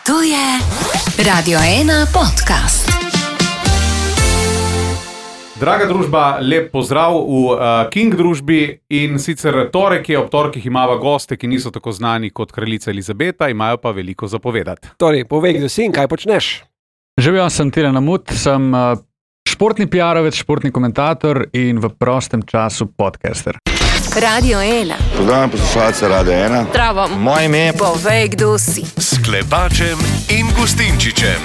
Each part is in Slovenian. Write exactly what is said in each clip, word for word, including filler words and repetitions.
To je Radio ena podcast. Draga družba, lep pozdrav v uh, King družbi in sicer torek je, ob torkih imava goste, ki niso tako znani kot kraljica Elizabeta, imajo pa veliko zapovedati. Torej, povej, kdo si in kaj počneš? Živijo, sem Tilen Amut, sem uh, športni piarovec, športni komentator in v prostem času podcaster. Radio ena. Pozdravljam poslušalce Radio ena. Zdravo. Moje ime je... Povej, kdo si. S Klepačem in Gustinčičem.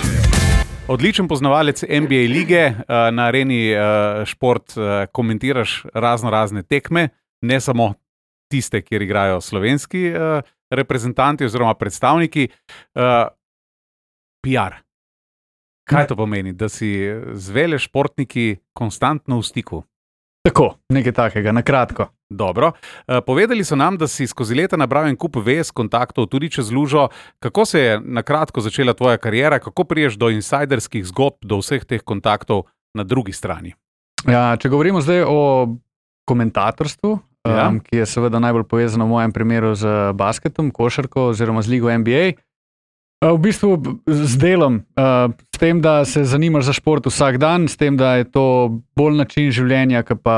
Odličen poznavalec N B A lige, na Areni šport komentiraš razno razne tekme, ne samo tiste, kjer igrajo slovenski reprezentanti oziroma predstavniki. P R. Kaj to pomeni, da si z vele športniki konstantno v stiku? Tako, nekaj takega, na kratko. Dobro. Povedali so nam, da si skozi leta nabral en kup vez, kontaktov, tudi čez lužo. Kako se je na kratko začela tvoja kariera? Kako priješ do insajderskih zgodb, do vseh teh kontaktov na drugi strani? Ja, če govorimo zdaj o komentatorstvu, Ja. um, ki je seveda najbolj povezano v mojem primeru z basketom, košarko oziroma z ligo N B A, v bistvu z delom, s tem, da se zanimaš za šport vsak dan, s tem, da je to bolj način življenja, kot pa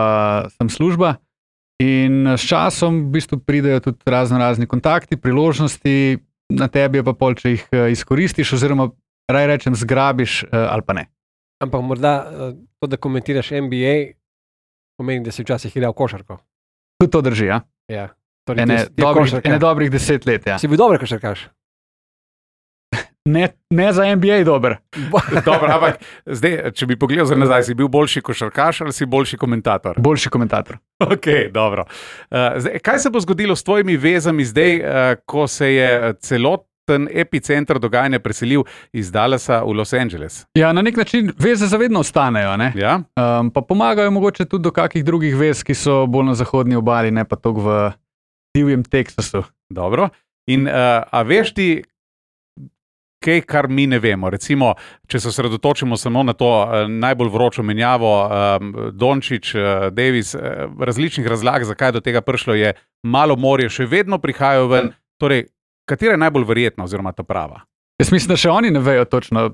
sem služba. In s časom v bistvu pridejo tudi razno razni kontakti, priložnosti, na tebi je pa pol, če jih izkoristiš oziroma raj rečem zgrabiš ali pa ne. Ampak morda to, da komentiraš N B A, pomeni, da si včasih igral košarko. Tudi to drži, ja. Ja. Torej, Ene, ti si- ti je dobrih, košarka. ene dobrih deset let, ja. Si bil dober košarkaš? Ne, ne za N B A dober. Dobro, ampak zdaj, če bi pogledal za nazaj, si bil boljši košarkaš ali si boljši komentator? Boljši komentator. Ok, dobro. Uh, zdaj, kaj se bo zgodilo s tvojimi vezami zdaj, uh, ko se je celoten epicenter dogajanja preselil iz Dallasa v Los Angeles? Ja, na nek način veze zavedno ostanejo, ne? Ja? Um, pa pomagajo mogoče tudi do kakih drugih vez, ki so bolj na zahodni obali, ne pa toliko v divjem Teksasu. Dobro. In uh, a veš ti, kaj, kar mi ne vemo? Recimo, če se osredotočimo samo na to uh, najbolj vročo menjavo, um, Dončić, uh, Davis, uh, različnih razlag, zakaj do tega prišlo, je malo morje, še vedno prihajajo ven. Torej, katera je najbolj verjetna oziroma ta prava? Jaz mislim, da še oni ne vejo točno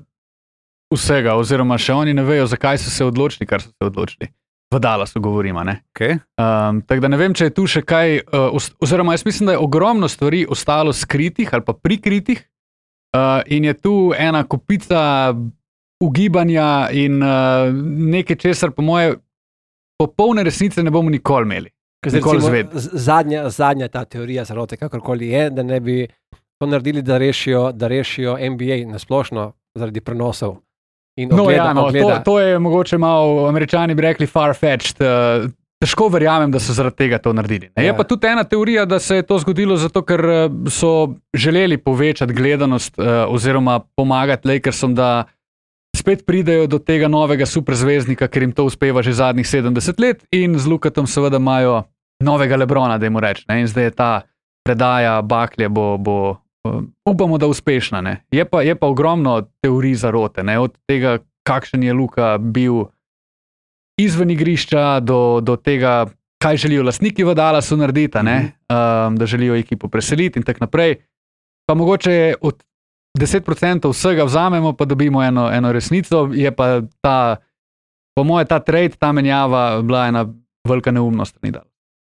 vsega, oziroma še oni ne vejo, zakaj so se odločili, kar so se odločili. V Dallasu govorimo, ne? Okay. Um, tako da ne vem, če je tu še kaj, uh, os- oziroma jaz mislim, da je ogromno stvari ostalo skritih ali pa prikritih. Uh, in je tu ena kopica ugibanja in uh, nekaj, česar po moje popolne resnice ne bomo nikoli imeli. Zdaj, Nikoli recimo, izvedeli. z- zadnja, zadnja ta teorija zarote, kakorkoli je, da ne bi to naredili, da rešijo, da rešijo N B A nasplošno zaradi prenosov. In No, ogleda, ja, no, to, ogleda. to je mogoče malo, Američani bi rekli far-fetched. Uh, težko verjamem, da so zaradi tega to naredili. Ne? Je Ja. pa tudi ena teorija, da se je to zgodilo zato, ker uh, so želeli povečati gledanost uh, oziroma pomagati Lakersom, da spet pridejo do tega novega superzvezdnika, ker jim to uspeva že zadnjih sedemdeset let in z Lukatom seveda imajo novega Lebrona, da jim reč. Ne? In zdaj je ta predaja baklje bo, bo uh, upamo, da uspešna. Ne? Je, pa, je pa ogromno teorij zarote, ne? Od tega, kakšen je Luka bil izven igrišča, do, do tega, kaj želijo lastniki v Dallasu narediti, a ne? um, da želijo ekipo preseliti in tako naprej. Pa mogoče od deset procentov vsega vzamemo, pa dobimo eno, eno resnico, je pa ta, po moje, ta trade, ta menjava bila ena velika neumnost.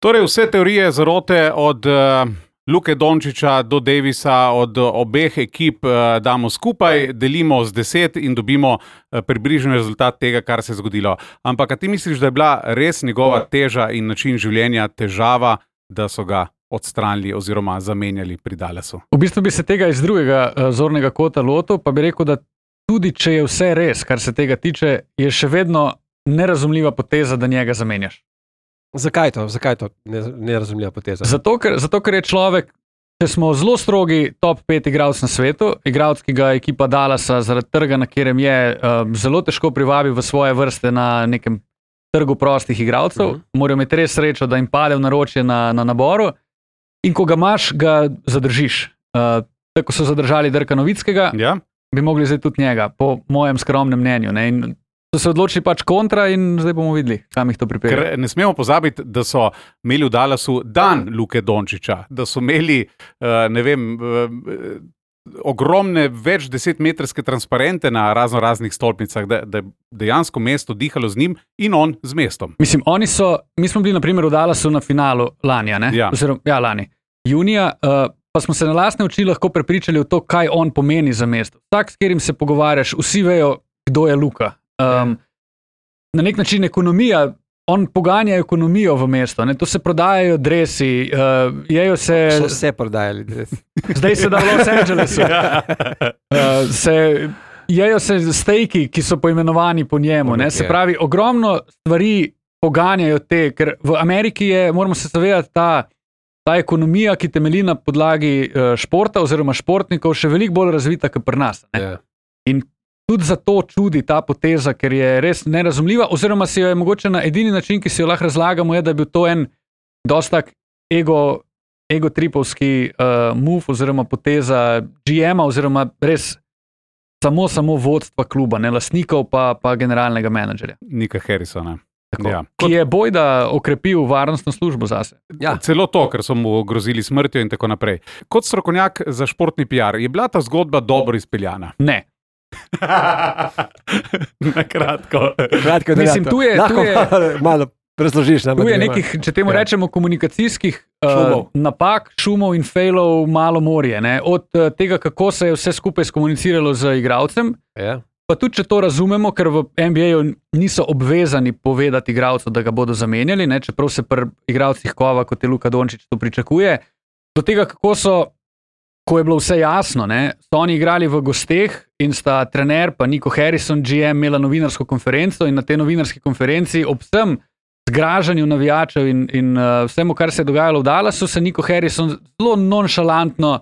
Torej, vse teorije zarote od uh, Luke Dončića do Davisa, od uh, obeh ekip uh, damo skupaj, delimo z deset in dobimo uh, približen rezultat tega, kar se je zgodilo. Ampak, a ti misliš, da je bila res njegova teža in način življenja težava, da so ga odstranili oziroma zamenjali pri Dallasu? V bistvu bi se tega iz drugega uh, zornega kota lotil, pa bi rekel, da tudi če je vse res, kar se tega tiče, je še vedno nerazumljiva poteza, da njega zamenjaš. Zakaj to? Zakaj to nerazumljiva poteza? Zato ker, zato, ker je človek, če smo zelo strogi top pet igralc na svetu, igralc, ki ga ekipa Dallasa zaradi trga, na katerem je, uh, zelo težko privabi v svoje vrste na nekem trgu prostih igralcev, Mhm. morajo imeti res srečo, da jim pade v naročje na, na naboru in ko ga imaš, ga zadržiš. Uh, tako so zadržali Dirka Nowitzkega, Ja? bi mogli zdaj tudi njega, po mojem skromnem mnenju. Ne? In so se odločili pač kontra in zdaj bomo videli, kam jih to pripelje. Ker ne smemo pozabiti, da so imeli v Dallasu dan Luke Dončića, da so imeli, uh, ne vem, uh, ogromne, več desetmetrske transparente na razno raznih stolpnicah, da, da je dejansko mesto dihalo z njim in on z mestom. Mislim, oni so, mi smo bili na primer v Dallasu na finalu lani, ne? Ja. Oziroma, ja, lani. Junija, uh, pa smo se na lastne oči lahko prepričali v to, kaj on pomeni za mesto. Vsak, s katerim se pogovarjaš, vsi vejo, kdo je Luka. Um, na nek način ekonomija, on poganja ekonomijo v mesto, ne? To se prodajajo dresi, uh, jejo se... So vse prodajali dresi. Zdaj se da v Los Angelesu. uh, se, jejo se stejki, ki so poimenovani po njemu. Ne? Se pravi, ogromno stvari poganjajo te, ker v Ameriki je, moramo se zavedati, ta, ta ekonomija, ki temelji na podlagi uh, športa oziroma športnikov, še veliko bolj razvita kot pri nas. Ne? Yeah. In tudi zato čudi ta poteza, ker je res nerazumljiva, oziroma si jo je mogoče na edini način, ki si jo lahko razlagamo, je, da je bil to en dostak ego, egotripovski uh, move oziroma poteza G M-a oziroma res samo, samo vodstva kluba, ne lastnikov pa, pa generalnega menedžerja. Nika Harrisona. Ja. Ki je bojda okrepil varnostno službo zase. Ja. Celo to, ker so mu grozili smrtjo in tako naprej. Kot strokovnjak za športni P R, je bila ta zgodba dobro izpeljana? Ne. Na kratko. Kratko, da Mislim, tu je, tu je, malo razložiš. tu je nekih, če temu Ja. rečemo, komunikacijskih uh, Šumov. napak, šumov in failov malo morje. Ne? Od uh, tega, kako se je vse skupaj skomuniciralo z igralcem, Ja. pa tudi, če to razumemo, ker v N B A-ju niso obvezani povedati igralcu, da ga bodo zamenjali, ne? Čeprav se pri igralcih kova, kot je Luka Dončić, to pričakuje. Do tega, kako so, ko je bilo vse jasno, ne? So oni igrali v gosteh in sta trener pa Nico Harrison, G M, imela novinarsko konferenco in na tej novinarski konferenci ob vsem zgražanju navijačev in, in uh, vsemu, kar se je dogajalo v Dallasu, se Nico Harrison zelo nonšalantno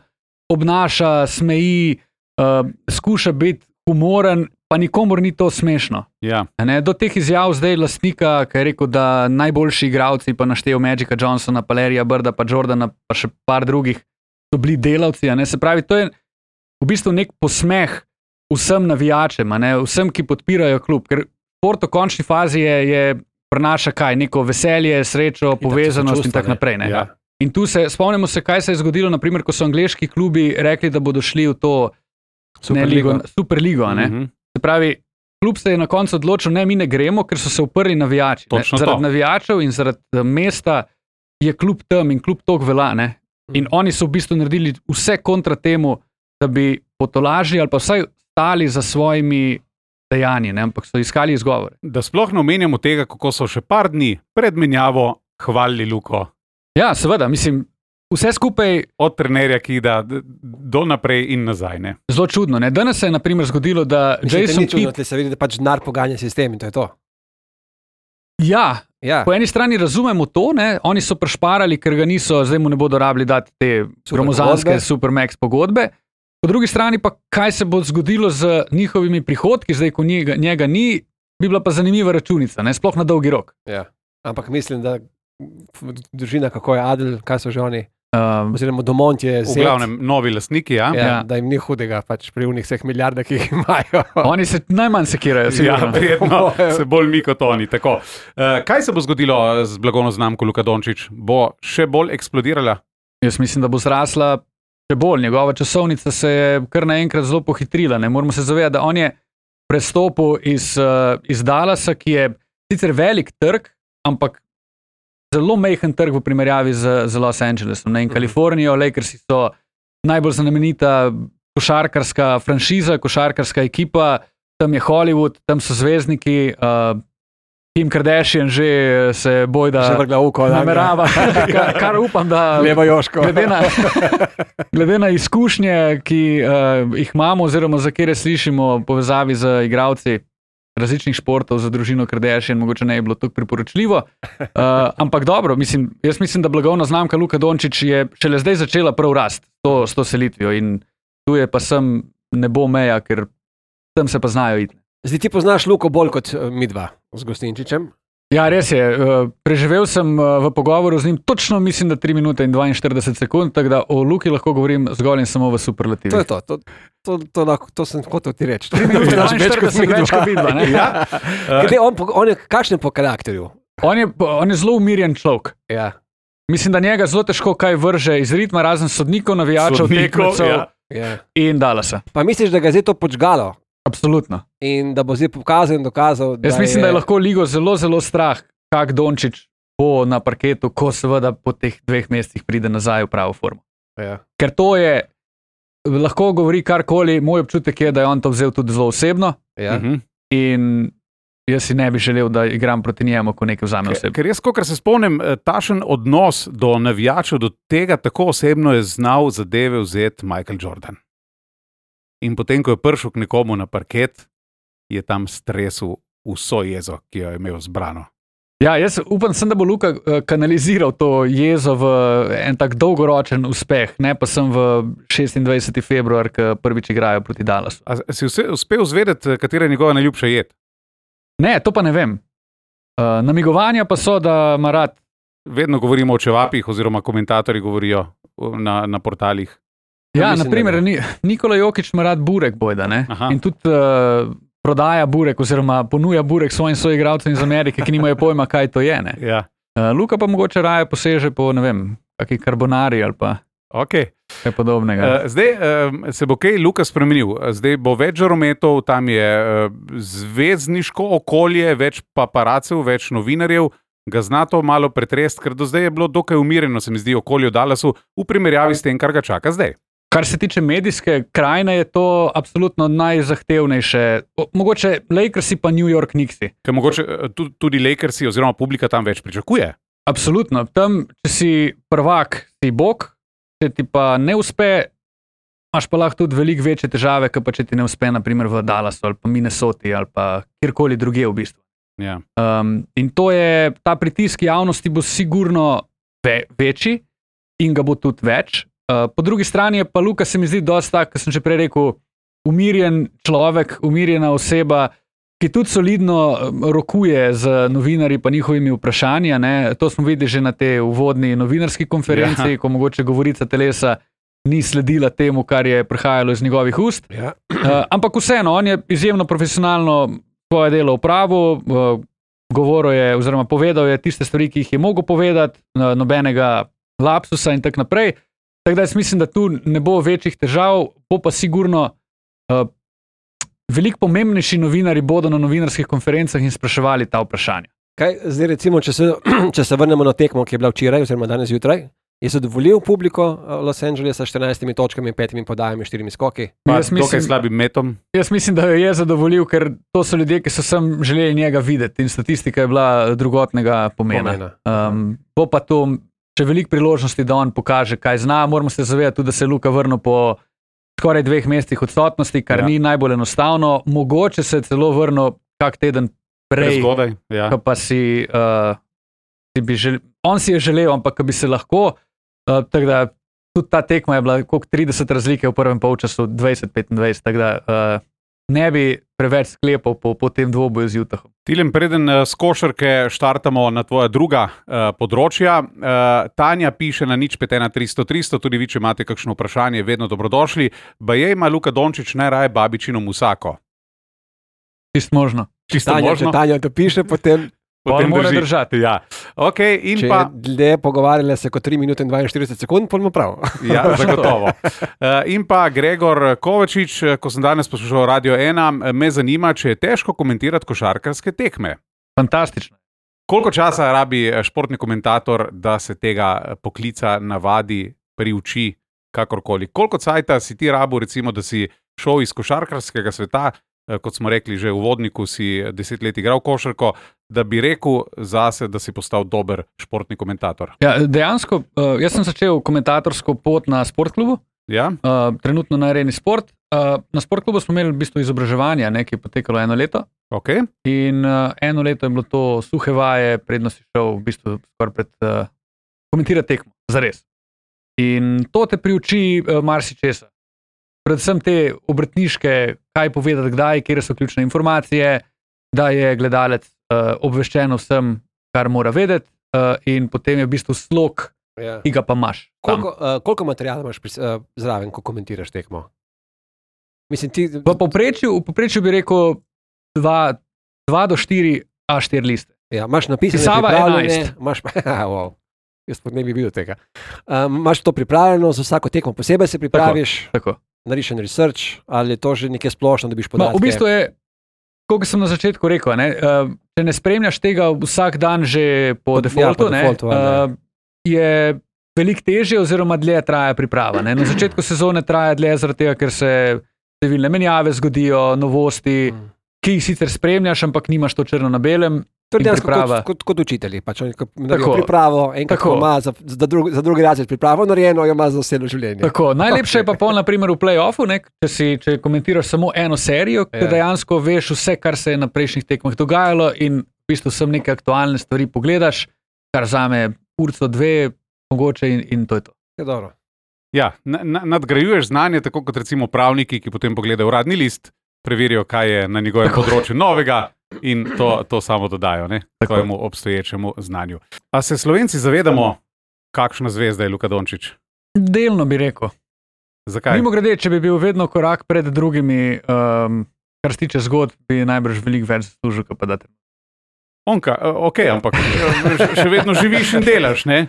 obnaša, smeji, uh, skuša biti humoren, pa nikomor ni to smešno. Ja. Ne? Do teh izjav zdaj lastnika, ki je rekel, da najboljši igralci, pa naštel Magica Johnsona, pa Larryja Birda, pa Jordana, pa še par drugih, so bili delavci. A ne? Se pravi, to je v bistvu nek posmeh vsem navijačem, a ne? Vsem, ki podpirajo klub. Ker šport v končni fazi je, je prenaša kaj? Neko veselje, srečo, povezanost in tako naprej. Ne? Ja. In tu se, spomnimo se, kaj se je zgodilo, naprimer, ko so angleški klubi rekli, da bodo šli v to Superligo. ne, ligo, Superligo. Ne? Mhm. Se pravi, klub se je na koncu odločil, ne, mi ne gremo, ker so se uprli navijači. Ne? Točno Zaradi to. navijačev in zaradi uh, mesta je klub tam in klub tok velja. Ne? In oni so v bistvu naredili vse kontra temu, da bi potolažili ali pa vsaj stali za svojimi dejanji, ne? Ampak so iskali izgovore. Da sploh ne omenjamo tega, kako so še par dni pred menjavo hvalili Luko. Ja, seveda, mislim, vse skupaj Od trenerja, ki da do naprej in nazaj. Ne? zelo čudno. Ne? Danes se je na primer zgodilo, da Mislim, Jason ni čudno, Kidd, da se vidi, da pač denar poganja sistem in to je to. ja, Ja. po eni strani razumemo to, ne? Oni so prešparali, ker ga niso, zdaj mu ne bodo rabili dati te Super gromozanske pogodbe. Supermax pogodbe. Po drugi strani pa, kaj se bo zgodilo z njihovimi prihodki, zdaj ko njega, njega ni, bi bila pa zanimiva računica, ne? Sploh na dolgi rok. Ja. Ampak mislim, da družina, kako je Adel, kaj so že oni, Um, oziroma Domont je V zet, glavnem, novi lastniki. Ja? ja, Ja. da jim ni hudega, pač pri unih vseh milijardah, ki jih imajo. oni se najmanj sekirajo, Ja, sigurno. verjetno se bolj mi kot oni. Tako. Uh, kaj se bo zgodilo z blagovno znamko Luka Dončić? Bo še bolj eksplodirala? Jaz mislim, da bo zrasla še bolj. Njegova časovnica se je kar naenkrat zelo pohitrila. Ne? Moramo se zavedati, da on je prestopil iz, uh, iz Dallasa, ki je sicer velik trg, ampak zelo majhen trg v primerjavi z, z Los Angelesom. Ne? In Kalifornijo, Lakersi so najbolj znamenita košarkarska franšiza, košarkarska ekipa, tam je Hollywood, tam so zvezdniki, uh, Kim Kardashian že se bojda Že vrgla oko. namerava, kar, kar upam, da Levo Joško. glede na, glede na izkušnje, ki uh, jih imamo, oziroma za kere slišimo v povezavi z igralci različnih športov, za družino Kardashian, mogoče ne je bilo tako priporočljivo. Uh, ampak dobro, mislim, jaz mislim, da blagovna znamka Luka Dončić je šele zdaj začela prav rast to, s to selitvijo in tu je pa sem ne bo meja, ker tam se pa znajo iti. Zdaj ti poznaš Luko bolj kot eh, mi dva z Gostinčičem. Ja, res je. Uh, preživel sem uh, v pogovoru z njim točno, mislim, da tri minute in dvainštirideset sekund, tako da o Luki lahko govorim zgolj in samo v superlativih. To je to. To, to, to, lahko- to sem hotel ti reči. Tri minute dvainštirideset več kot vidva, ne? Ja. Glede, on, po- on je kakšen po karakterju? On je, on je zelo umirjen človek. Ja. Mislim, da njega zelo težko kaj vrže iz ritma, razen sodnikov, navijačev, Sodnikov, tekmecev. ja. Ja. in Dallasa. Pa misliš, da ga je zdaj to počgalo Absolutno. in da bo zdaj pokazal in dokazal, da Jaz mislim, je... da je lahko ligo zelo, zelo strah, kak Dončić bo na parketu, ko seveda po teh dveh mesecih pride nazaj v pravo formo. Ja. Ker to je, lahko govori karkoli, moj občutek je, da je on to vzel tudi zelo osebno Ja. Mhm. in jaz si ne bi želel, da igram proti njemu, ko nekaj vzame Ker, osebno. ker jaz, kot se spomnim, eh, tašen odnos do navijačev, do tega tako osebno je znal zadeve vzeti Michael Jordan. In potem, ko je prišel k nekomu na parket, je tam stresel vso jezo, ki jo je imel zbrano. Ja, jaz upam, sem, da bo Luka eh, kanaliziral to jezo v en tak dolgoročen uspeh, ne pa sem v šestindvajseti februar, ko prvič igrajo proti Dallasu. A si vse, uspel zvedeti, katera je njegova najljubša jed? Ne, to pa ne vem. Uh, namigovanja pa so, da ima rad. Vedno govorimo o čevapih, oziroma komentatorji govorijo na, na portalih. Ja, mislim, naprimer, da Ni, Nikola Jokić ima rad burek, bojda, ne? Aha. In tudi uh, prodaja burek, oziroma ponuja burek svojim soigralcem iz Amerike, ki nimajo pojma, kaj to je. Ne? Ja. Uh, Luka pa mogoče raje poseže po, ne vem, kakšni karbonari ali pa Okay. kaj podobnega. Uh, zdaj uh, se bo kaj Luka spremenil. Zdaj bo več žarometov, tam je uh, zvezdniško okolje, več paparacev, več novinarjev. Ga zna to malo pretrest, ker do zdaj je bilo dokaj umirjeno, se mi zdi, okolje v Dallasu v primerjavi s tem, kar ga čaka zdaj. Kar se tiče medijske krajine, je to absolutno najzahtevnejše. O, mogoče Lakersi pa New York Knicksi. Ker mogoče uh, tudi, tudi Lakersi oziroma publika tam več pričakuje. Absolutno. Tam, če si prvak, si bog, če ti pa ne uspe, imaš pa lahko tudi veliko večje težave, kot pa če ti ne uspe, naprimer v Dallasu ali pa Minnesoti ali pa kjerkoli drugje v bistvu. Ja. Um, in to je, ta pritisk javnosti bo sigurno ve, večji in ga bo tudi več. Uh, po drugi strani je pa Luka, se mi zdi, dosti tak, kot sem že prej rekel, umirjen človek, umirjena oseba, ki tudi solidno rokuje z novinarji pa njihovimi vprašanji. Ne? To smo videli že na tej uvodni novinarski konferenci, ja. Ko mogoče govorica telesa ni sledila temu, kar je prihajalo iz njegovih ust. Ja. Uh, ampak vseeno, on je izjemno profesionalno svoje delo opravil, uh, govoril je oziroma povedal je tiste stvari, ki jih je mogel povedati, uh, nobenega lapsusa in tako naprej. Tako da jaz mislim, da tu ne bo večjih težav, bo pa sigurno uh, veliko pomembnejši novinari bodo na novinarskih konferencah in spraševali ta vprašanja. Kaj, zdaj recimo, če se, če se vrnemo na tekmo, ki je bila včeraj, oziroma danes zjutraj, je zadovoljil publiko Los Angelesa s štirinajstimi točkami, petimi podajami, štirimi skoki. Pa Jaz dokaj mislim, slabim metom. jaz mislim, da jo je zadovoljil, ker to so ljudje, ki so sem želeli njega videti in statistika je bila drugotnega pomena. Pomena. Um, bo pa to še veliko priložnosti, da on pokaže, kaj zna. Moramo se zavedati tudi, da se je Luka vrnil po skoraj dveh mesecih odsotnosti, kar Ja. ni najbolj enostavno. Mogoče se je celo vrnil kak teden prej, Prezgodaj. Ja. ko pa si, uh, si bi želel, on si je želel, ampak ko bi se lahko, uh, tako da tudi ta tekma je bila koliko trideset razlike v prvem polčasu, dvajset petindvajset, tako da uh, ne bi preveč sklepal po, po tem dvoboju z Utahom. Tilem, preden uh, s košarke štartamo na tvoja druga uh, področja. Uh, Tanja piše na nič pet ena tristo tristo, tudi vi, če imate kakšno vprašanje, vedno dobrodošli. Baje ima Luka Dončić najraje babičino musako. Čisto možno. Čisto Tanja, možno. če Tanja to piše, potem, Potem mora drži. držati. Ja. Okay, in če pa, je dlje pogovarjale se kot tri minute in dvainštirideset sekund, pa imamo prav. ja, zagotovo. Uh, in pa Gregor Kovačič, ko sem danes poslušal Radio ena, me zanima, če je težko komentirati košarkarske tekme. Fantastično. Koliko časa rabi športni komentator, da se tega poklica navadi, priuči, kakorkoli? Koliko cajta si ti rabil, recimo, da si šel iz košarkarskega sveta, kot smo rekli že v uvodniku, si deset let igral košarko, da bi rekel zase, da si postal dober športni komentator? Ja, dejansko, uh, jaz sem začel komentatorsko pot na sportklubu, Ja? uh, trenutno na Areni Sport. Uh, na sportklubu smo imeli v bistvu izobraževanje, ne, ki je potekalo eno leto. Okay. In uh, eno leto je bilo to suhe vaje, predno si šel v bistvu skoraj pred uh, komentirati tekmo, zares. In to te priuči uh, marsičesa. Predvsem te obrtniške, kaj povedati, kdaj, kje so ključne informacije, da je gledalec uh, obveščen o vsem, kar mora vedeti, uh, in potem je v bistvu slog, Ja. ki ga pa imaš. tam. Koliko, uh, koliko materijala imaš pri, uh, zraven, ko komentiraš tekmo? Mislim, ti... V povprečju, v povprečju bi rekel dva do štiri A štiri liste. Ja, imaš napisane Pisava pripravljene, enajst. imaš, wow, jaz pa ne bi videl tega. Um, imaš to pripravljeno, za vsako tekmo posebej se pripraviš. Tako. narediš en research, ali je to že nekaj splošno, da biš No, podatke? v bistvu je, kot sem na začetku rekel, ne, uh, če ne spremljaš tega vsak dan že po Po- defaultu, ja, po ne, defaultu, ali ne. uh, je veliko težje oziroma dlje traja priprava. Ne. Na začetku sezone traja dlje zaradi tega, ker se številne menjave zgodijo, novosti, Mm. ki jih sicer spremljaš, ampak nimaš to črno na belem. To je in dejansko priprava. kot, kot, kot učitelji. Pač oni ko naredijo Tako. pripravo, enkrat Tako. ko ima za, za, drug, za drugi razred pripravo narejeno, jo ima za vse življenje. Tako, najlepše je pa pol, naprimer, v play-offu, ne, če, si, če komentiraš samo eno serijo, Ja. ki dejansko veš vse, kar se je na prejšnjih tekmah dogajalo in v bistvu sem neke aktualne stvari pogledaš, kar zame urco dve, mogoče in, in to je to. Je dobro. Ja, na, na, nadgrajuješ znanje, tako kot recimo pravniki, ki potem pogledajo uradni list, preverijo, kaj je na njegovem Tako. področju novega in to, to samo dodajo ne, Tako. svojemu obstoječemu znanju. A se Slovenci zavedamo, kakšna zvezda je Luka Dončić? Delno bi rekel. Zakaj? Mimo grede, če bi bil vedno korak pred drugimi, um, kar se tiče zgodb, bi najbrž veliko več zaslužil, kot pa da te. Onka, eh, ok, ampak še, še vedno živiš in delaš. Ne?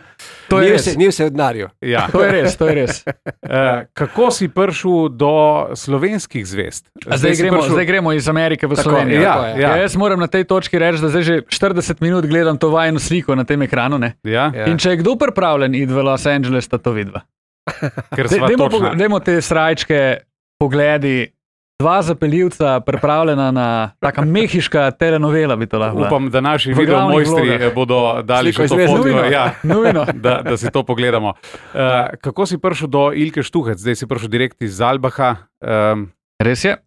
To Ni je res. vse, ni vse v denarju. Ja. To je res, to je res. Uh, kako si prišel do slovenskih zvezd? A zdaj, si gremo, prišel- zdaj gremo iz Amerike v Tako, Slovenijo. ja, tako je. ja. Ja, jaz moram na tej točki reči, da zdaj že štirideset minut gledam to vajno sliko na tem ekranu. Ne? Ja, Ja. In če je kdo pripravljen iti v Los Angeles, sta to vidva. ker Dej- sva Dajmo točna. pog- dajmo te srajčke, pogledi, dva zapeljivca, pripravljena na taka mehiška telenovela, bi to lahko bila. Upam, da naši V video glavnih mojstri vlogah. eh, bodo dali Sliko še to iz zvezd. fotko, Nujno. ja, Nujno. da, da si to pogledamo. Uh, kako si prišel do Ilke Štuhec? Zdaj si prišel direkt iz Zalbaha. Um, Res je.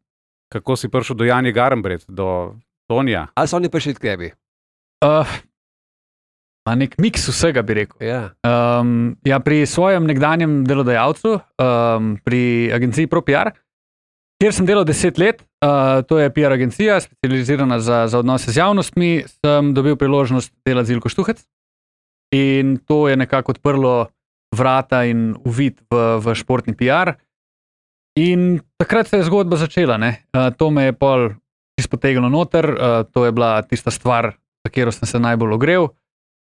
kako si prišel do Janje Garambret, do Tonija? Ali so oni prišli k tebi? Uh, a nek miks vsega, bi rekel. Ja. Um, ja, pri svojem nekdanjem delodajalcu, um, pri agenciji ProPR, kjer sem delal deset let, uh, to je P R agencija, specializirana za, za odnose z javnostmi, sem dobil priložnost delati z Ilko Štuhec. In to je nekako odprlo vrata in uvid v, v športni P R. In takrat se je zgodba začela. Ne? Uh, to me je pol izpotegnilo noter, uh, to je bila tista stvar, za katero sem se najbolj ogrel.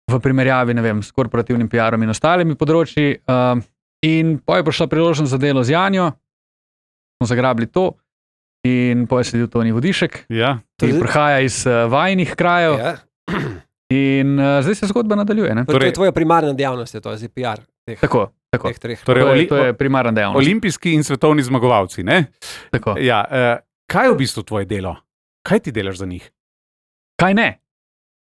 V primerjavi ne vem, s korporativnim P R-om in ostalimi področji. Uh, in potem je prišla priložnost za delo z Janjo, smo zagrabili to, in potem je sedel Toni Vodišek, Ja. ki prihaja iz uh, vajnih krajev, Ja. in uh, zdaj se zgodba nadaljuje. Ne? To, to Torej- je tvoja primarna dejavnost, je to je P R. Teh, Tako, tako. teh treh. Torej, To je, oli, to je primarna dejavnost. olimpijski in svetovni zmagovalci. Ne? Tako. Ja, uh, kaj je v bistvu tvoje delo? Kaj ti delaš za njih? Kaj ne?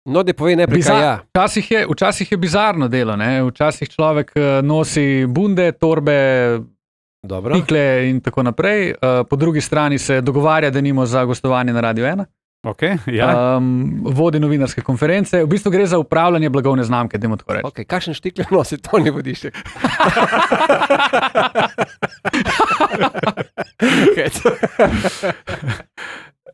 No, da povej najprej, kaj Bizar- ja. Včasih je, včasih je bizarno delo, ne? Včasih človek eh, nosi bunde, torbe, Dobro. pikle in tako naprej. Eh, Po drugi strani se dogovarja, da nimo za gostovanje na Radio ena. Okay, ja. Um, vodi novinarske konference. V bistvu gre za upravljanje blagovne znamke, dajmo tako reči. Okay, kakšen štikle nosi Toni Vodišek?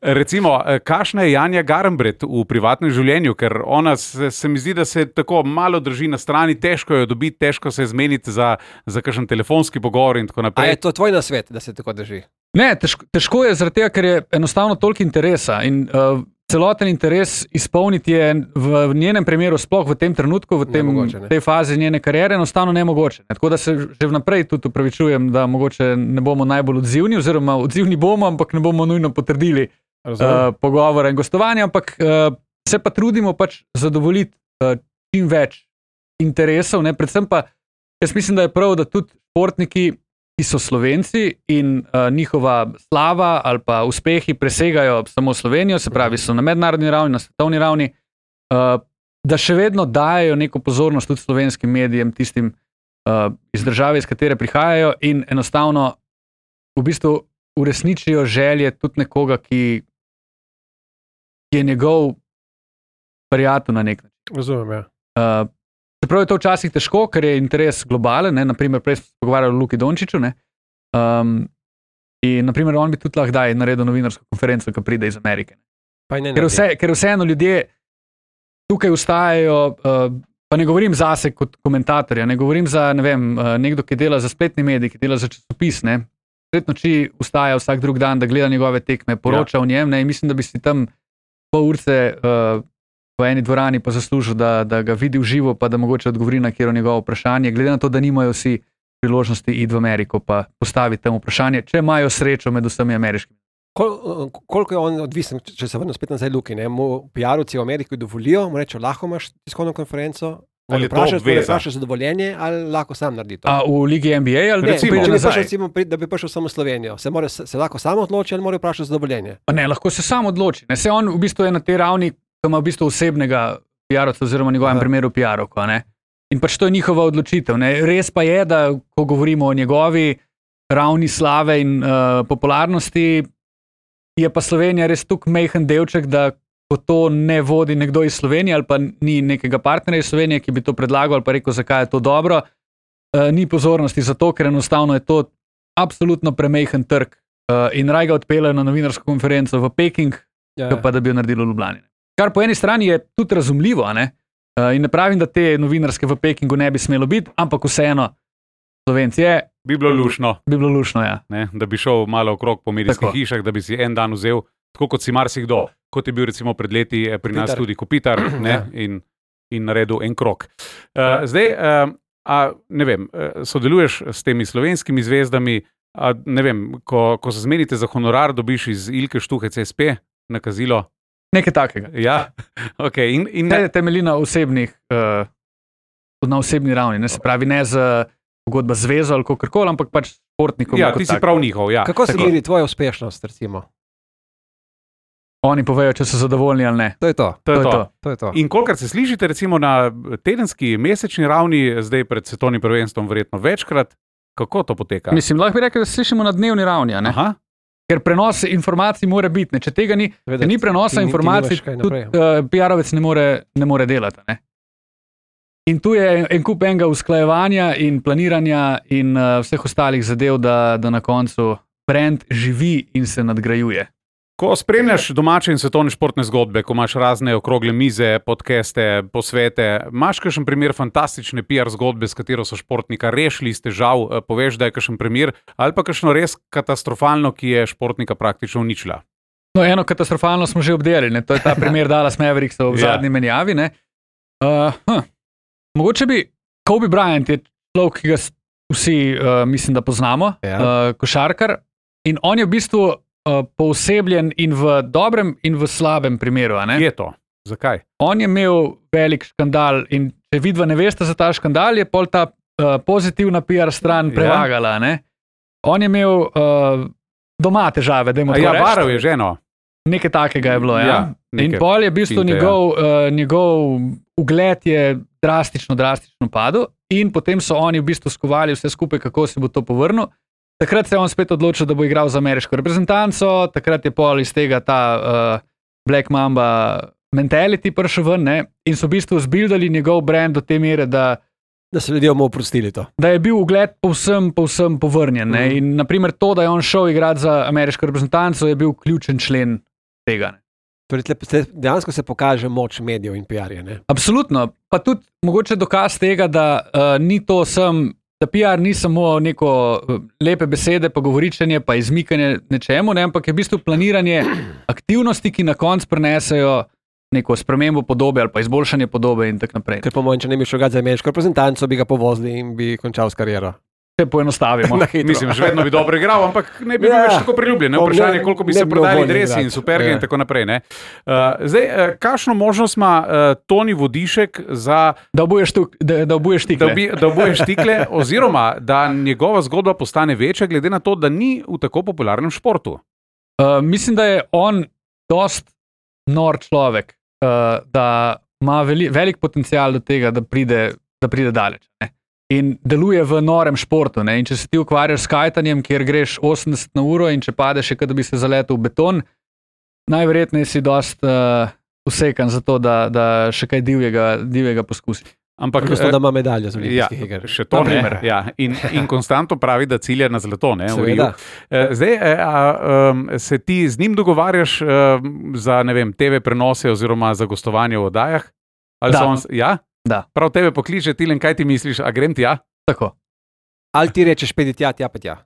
Recimo, eh, kakšna je Janja Garambret v privatnem življenju, ker ona se, se mi zdi, da se tako malo drži na strani, težko jo dobiti, težko se zmeniti za, za kakšen telefonski pogovor in tako A je naprej. to tvoj nasvet, da se tako drži? Ne, težko, težko je zaradi tega, ker je enostavno toliko interesa in uh, celoten interes izpolniti je v njenem primeru, sploh v tem trenutku, v tem, Nemogoče, ne. tej fazi njene kariere, enostavno nemogoče. Ne? Tako da se že vnaprej tudi upravičujem, da mogoče ne bomo najbolj odzivni, oziroma odzivni bomo, ampak ne bomo nujno potrdili uh, pogovora in gostovanja, ampak uh, se pa trudimo pač zadovoljiti uh, čim več interesov, ne? Predvsem pa jaz mislim, da je prav, da tudi športniki, ki so Slovenci in uh, njihova slava ali pa uspehi presegajo samo Slovenijo, se pravi, so na mednarodni ravni, na svetovni ravni, uh, da še vedno dajo neko pozornost tudi slovenskim medijem, tistim uh, iz države, iz katere prihajajo in enostavno v bistvu uresničijo želje tudi nekoga, ki, ki je njegov prijatelj na nek način. Razumem, ja. Uh, Čeprav je to včasih težko, ker je interes globalen, ne? Naprimer, prej smo se pogovarjali o Luki Dončiću, ne? Um, in naprimer, on bi tudi lahko daj naredil novinarsko konferenco, ki pride iz Amerike. Pa ne Ker, vse, ker vseeno ljudje tukaj ustajajo, uh, pa ne govorim zase kot komentatorja, ne govorim za ne vem, uh, nekdo, ki dela za spletni medij, ki dela za časopis, ne? Sred noči ustaja vsak drug dan, da gleda njegove tekme, poroča ja. o njem, ne? In mislim, da bi si tam pol urce uh, v eni dvorani pa zaslužil, da, da ga vidi v živo, pa da mogoče odgovori na kjero njegovo vprašanje, glede na to, da nimajo vsi priložnosti iti v Ameriko pa postaviti tam vprašanje, če imajo srečo med vsemi ameriškimi. Kol, koliko je on odvisen, če se vrnem spet nazaj Luki, ne? Mu P R-ovci v Ameriki dovolijo, mu reče, lahko imaš tiskovno konferenco, ali to vprašaš, obveza? vprašaš za dovoljenje, ali lahko sam naredi to. A v Ligi N B A ali Ne, recimo, če bi nazaj. prišel, recimo, pri- da bi prišel samo v Slovenijo, se, more, se, se lahko sam odloči ali mora vprašati za dovoljenje. Pa ne, lahko se sam odloči. Ne? Se on v bistvu je na tej ravni, ki ima v bistvu osebnega P R-ovca oziroma v njegovem Aha. primeru P R-ovko. Ne? In pač to je njihova odločitev. Ne? Res pa je, da ko govorimo o njegovi ravni slave in uh, popularnosti, je pa Slovenija res tukaj majhen delček, da ko to ne vodi nekdo iz Slovenije ali pa ni nekega partnerja iz Slovenije, ki bi to predlagal ali pa rekel, zakaj je to dobro, uh, ni pozornosti za to, ker enostavno je to absolutno premajhen trg uh, in raj ga odpeljejo na novinarsko konferenco v Peking, Ja, ja. pa da bi jo naredili v Ljubljani. Kar po eni strani je tudi razumljivo, a ne? Uh, in ne pravim, da te novinarske v Pekingu ne bi smelo biti, ampak vseeno, Slovenci je, Bi bilo lušno, bi bilo lušno, ja. ne? Da bi šel malo okrog po medijskih Tako. hišah, da bi si en dan vzel, tako kot si marsikdo, kot je bil recimo pred leti eh, pri nas Kopitar. tudi Kopitar, ne? Ja. in, in naredil en krog. Uh, zdaj, uh, a, ne vem, uh, sodeluješ s temi slovenskimi zvezdami, a, ne vem, ko, ko se zmenite za honorar, dobiš iz Ilke Štuhe C S P nakazilo. Nekaj takega. Ja, ok. In, in Ne temelji na osebnih, uh, na osebni ravni, ne se pravi, ne z pogodba z zvezo ali kakorkoli, ampak pač športnikom. ja, kot ti si tak. prav njihov. Ja. Kako se Tako. meri tvoja uspešnost, recimo? Oni povejo, če so zadovoljni ali ne. To je to. To je to. To je to. In kolikor se slišite, recimo na tedenski, mesečni ravni, zdaj pred svetovnim prvenstvom, verjetno večkrat, kako to poteka? Mislim, lahko bi rekel, da se slišimo na dnevni ravni, a ne? Aha, Ker prenos informacij mora biti. Ne? Če tega ni, Seveda, če ni prenosa ti ni- ti informacij, nimaš kaj tudi naprej. uh, P R-ovec ne more, ne more delati. Ne? In tu je en, en kup enega usklajevanja in planiranja in uh, vseh ostalih zadev, da, da na koncu brand živi in se nadgrajuje. ko spremljaš domače in svetovne športne zgodbe, ko imaš razne okrogle mize, podcaste, posvete, imaš kakšen primer fantastične P R zgodbe, s katero so športnika rešili iz težav, eh, poveš, da je kakšen primer, ali pa kakšno res katastrofalno, ki je športnika praktično uničila. No, eno katastrofalno smo že obdelali, ne? To je ta primer Dallas Mavericksov v Ja. zadnji menjavi. ne. Uh, hm. Mogoče bi Kobe Bryant je človek, ki ga s- vsi, uh, mislim, da poznamo, Ja. uh, košarkar, in on je v bistvu uh, poosebljen in v dobrem in v slabem primeru. a ne. Kje je to? Zakaj? On je imel velik škandal in če vidva ne veste za ta škandal, je pol ta uh, pozitivna P R stran Ja. prevagala. Ne? On je imel uh, doma težave, da A imamo ja, varal je ženo. Nekaj takega je bilo. Ja? Ja, In neke pol je v bistvu finte, ja. njegov, uh, njegov ugled je drastično, drastično padel, in potem so oni v bistvu skovali vse skupaj, kako se bo to povrnil. Takrat se je on spet odločil, da bo igral za ameriško reprezentanco, takrat je pol iz tega ta uh, Black Mamba mentality prišel ven, ne? In so v bistvu zbildali njegov brand do te mere, da, Da so ljudje mu oprostili to. da je bil ugled povsem, povsem povrnjen. Ne? Mhm. In naprimer to, da je on šel igrati za ameriško reprezentanco, je bil ključen člen tega. Ne? Torej, tle- tle- dejansko se pokaže moč medijev in P R-ja. ne. Absolutno. Pa tudi mogoče dokaz tega, da uh, ni to sem, da P R ni samo neko uh, lepe besede, pa govoričenje, pa izmikanje nečemu, ne, ampak je v bistvu planiranje aktivnosti, ki na koncu prinesejo neko spremembo podobe ali pa izboljšanje podobe in tako naprej. Ker po mojem, če ne bi šel igrati za ameriško reprezentanco, bi ga povozili in bi končal s kariero. Če poenostavimo. Na hitro. Mislim, še vedno bi dobro igral, ampak ne bi bil Ja. več tako priljubljen. Ne? Ne, Vprašanje je, koliko bi ne se bi bil prodali voljen dresi igrati. in superge Ja. in tako naprej. Ne? Uh, zdaj, uh, kakšno možnost ima uh, Toni Vodišek za Da obuješ, tuk, da, da obuješ da, tikle. obi, da obuje štikle, oziroma da njegova zgodba postane večja, glede na to, da ni v tako popularnem športu? Uh, mislim, da je on dost nor človek, uh, da ima veli, velik potencial do tega, da pride, da pride daleč. Ne? In deluje v norem športu. Ne? In če se ti ukvarjaš s kajtanjem, kjer greš osemdeset na uro in če padeš, je kot da bi se zaletel v beton, najverjetneje si dost uh, usekan za to, da, da še kaj divjega, divjega poskusi. Ampak, Odnosno, da ima medaljo z ja, olimpijskih iger. še to Na ne. primer. Ja, in, in konstantno pravi, da cilja na zlato. Ne, v Riu. Seveda. Eh, Zdaj, eh, a, um, se ti z njim dogovarjaš um, za ne vem, T V prenose oziroma za gostovanje v oddajah? Ali Da. so on, ja? Da. Prav tebe pokliče, Tilen, kaj ti misliš, a grem tja? Tako. Ali ti rečeš, pedi tja, tja pa tja.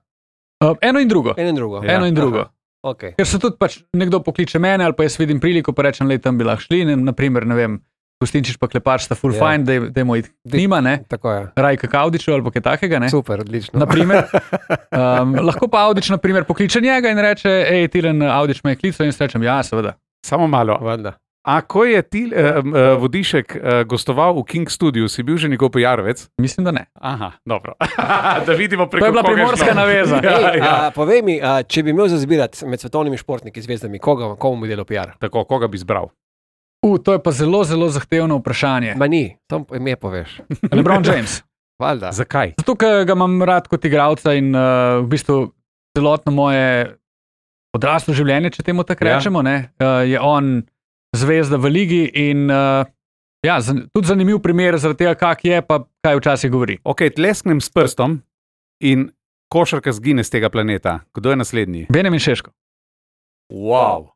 Uh, eno in drugo. Eno in drugo. Ja. Eno in drugo. Okay. Ker se tudi pač nekdo pokliče mene, ali pa jaz vidim priliko, pa rečem, da tam bi lahko šli. Ne, naprimer, ne vem, Gostinčič pa Klepač sta full Ja. fine, da dajmo iti k njima, ne? Tako je. Rajka Kaudiču ali pa kaj takega, ne? Super, odlično. Naprimer, um, lahko pa Audič naprimer pokliče njega in reče, hej, Tilen, Audič me je klical in jaz rečem, ja, seveda. Samo malo. Valjda. A ko je ti uh, uh, Vodišek uh, gostoval v King Studiu, si bil že njegov pojarovec? Mislim, da ne. Aha, dobro. Da vidimo preko To je bila koga primorska šlo. naveza. Ja, Ej, ja. a, povej mi, a, če bi imel za zbirati med svetovnimi športniki, zvezdami, koga, komu bi delal P R? Tako, koga bi izbral? U, to je pa zelo, zelo zahtevno vprašanje. Ma ni, samo ime poveš. LeBron James. Valjda. Zakaj? Zato, ker ga imam rad kot igralca in uh, v bistvu celotno moje odraslo življenje, če temu tako Ja. rečemo, ne, uh, je on zvezda v ligi in uh, ja, zan, tudi zanimiv primer zaradi tega, kak je, pa kaj včasih govori. Ok, tlesknem s prstom in košarka zgine z tega planeta. Kdo je naslednji? Benjamin Šeško. Wow.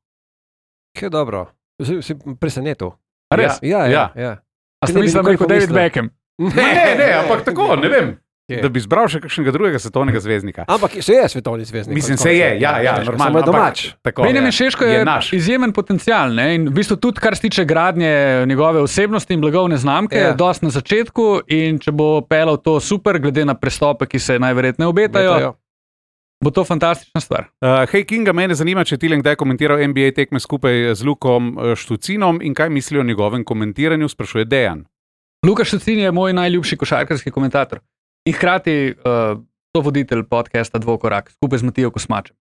Kaj dobro. Si, si presenetil. A res? Ja, ja. ja. A Ti ste ne bi mislili, da nikoli je kot David pomislil. Beckham? Ne, ne, ampak tako, ne vem. Kje? Da bi izbral še kakšnega drugega svetovnega zvezdnika. Ampak se je svetovni zvezdnik. Mislim, konec se je, koncev. ja, ja, Šeško, normalno. Samo je ampak domač. Tako, Benjamin ja. Šeško je, je naš. izjemen potencial ne? In v bistvu tudi, kar se tiče gradnje njegove osebnosti in blagovne znamke, Ja. je dosti na začetku in če bo pelal to super, glede na prestope, ki se najverjetneje obetajo, Obetajo. bo to fantastična stvar. Uh, hej, Kinga, mene zanima, če je Tilen kdaj komentiral N B A tekme skupaj z Lukom uh, Štucinom in kaj misli o njegovem komentiranju, sprašuje Dejan. Luka Štucin je moj najljubši košarkarski komentator in hkrati uh, voditelj podcasta Dvokorak skupaj z Matijo Kosmačem.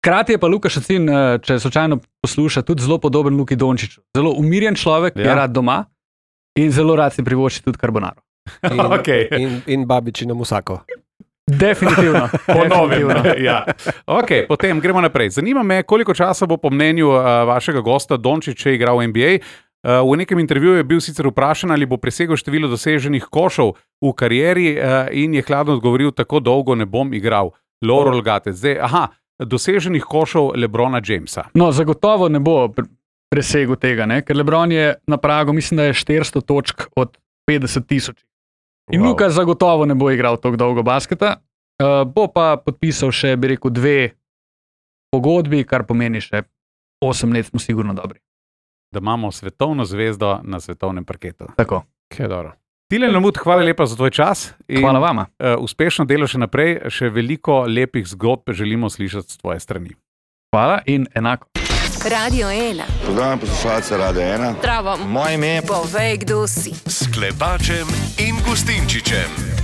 Hkrati je pa Luka Štucin, uh, če slučajno posluša, tudi zelo podoben Luki Dončiću. Zelo umirjen človek, Ja. ja. je rad doma in zelo rad si privošči tudi karbonaro. In, Okej. in, in babičino musako. Definitivno. Ponovim. Definitivno. ja. okay, potem gremo naprej. Zanima me, koliko časa bo po mnenju uh, vašega gosta Dončić igral v N B A. Uh, v nekem intervjuju je bil sicer vprašan, ali bo presegel število doseženih košov v karieri uh, in je hladno odgovoril, tako dolgo ne bom igral. Laurel Gatec. Zdaj, aha, doseženih košov LeBrona Jamesa. No, zagotovo ne bo pre- presegel tega, ne? Ker LeBron je na pragu, mislim, da je štiristo točk od petdeset tisoč. In Wow. wow. Luka zagotovo ne bo igral tako dolgo basketa, uh, bo pa podpisal še, bi rekel, dve pogodbi, kar pomeni še osem let, smo sigurno dobri. Da imamo svetovno zvezdo na svetovnem parketu. Tako. Kaj dobro. Tilen Lamut, hvala lepa za tvoj čas. In, Hvala vama. Uh, uspešno delo še naprej, še veliko lepih zgodb želimo slišati z tvoje strani. Hvala in enako. Radio ena. Pozdravljam poslušalce Radia ena. Zdravo. Moje ime je Povej, kdo si. S Klepačem in Gustinčičem.